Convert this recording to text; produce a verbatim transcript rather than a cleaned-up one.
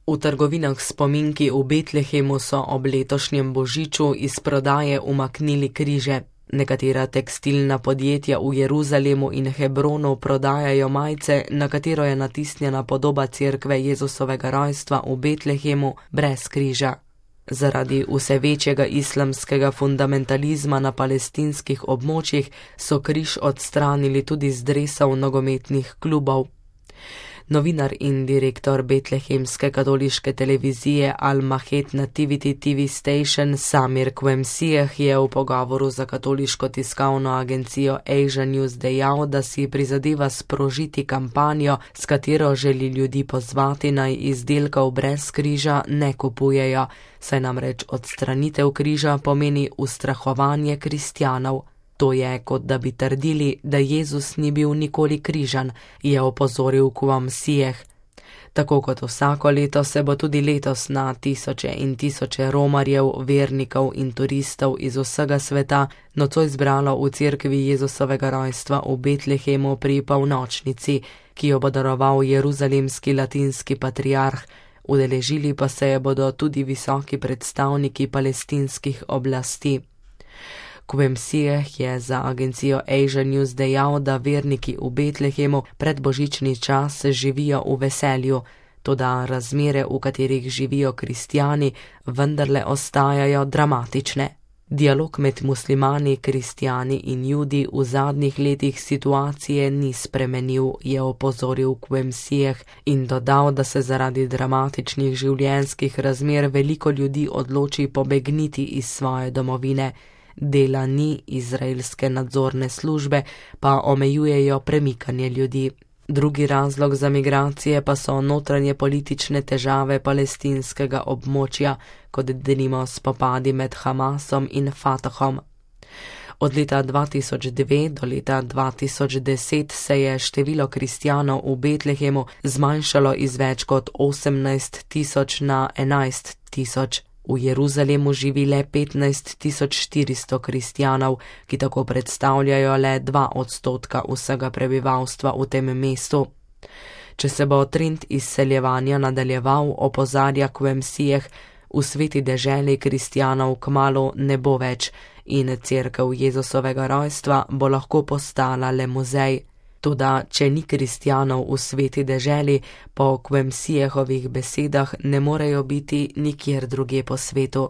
V trgovinah s spominki v Betlehemu so ob letošnjem božiču iz prodaje umaknili križe. Nekatera tekstilna podjetja v Jeruzalemu in Hebronu prodajajo majice, na katero je natisnjena podoba cerkve Jezusovega rojstva v Betlehemu brez križa. Zaradi vse večjega islamskega fundamentalizma na palestinskih območjih so križ odstranili tudi z dresov nogometnih klubov. Novinar in direktor betlehemske katoliške televizije Al-Mahed Nativity T V Station Samir Quemsieh je v pogovoru za katoliško tiskovno agencijo Asia News dejal, da si prizadeva sprožiti kampanjo, s katero želi ljudi pozvati naj izdelkov brez križa ne kupujejo, saj namreč odstranitev križa pomeni ustrahovanje kristjanov. To je, kot da bi trdili, da Jezus ni bil nikoli križan, je opozoril Quemsieh. Tako kot vsako leto se bo tudi letos na tisoče in tisoče romarjev, vernikov in turistov iz vsega sveta nocoj zbralo v cerkvi Jezusovega rojstva v Betlehemu pri polnočnici, ki jo bo daroval jeruzalemski latinski patriarh. Udeležili pa se je bodo tudi visoki predstavniki palestinskih oblasti. Quemsieh je za agencijo Asia News dejal, da verniki v Betlehemu pred božični čas živijo v veselju, toda razmere, v katerih živijo kristjani, vendarle ostajajo dramatične. Dialog med muslimani, kristjani in judi v zadnjih letih situacije ni spremenil, je opozoril Quemsieh in dodal, da se zaradi dramatičnih življenjskih razmer veliko ljudi odloči pobegniti iz svoje domovine. Dela ni, izraelske nadzorne službe pa omejujejo premikanje ljudi. Drugi razlog za migracije pa so notranje politične težave palestinskega območja, kot denimo spopadi med Hamasom in Fatahom. Od leta dva tisoč dve do leta dva tisoč deset se je število kristjanov v Betlehemu zmanjšalo iz več kot osemnajst tisoč na enajst tisoč. V Jeruzalemu živi le petnajst tisoč štiristo kristjanov, ki tako predstavljajo le dva odstotka vsega prebivalstva v tem mestu. Če se bo trend izseljevanja nadaljeval, opozarja Quemsieh, v sveti deželi kristjanov kmalu ne bo več in cerkev Jezusovega rojstva bo lahko postala le muzej. Toda, če ni kristjanov v sveti deželi, po Quemsiehovih besedah ne morejo biti nikjer drugje po svetu.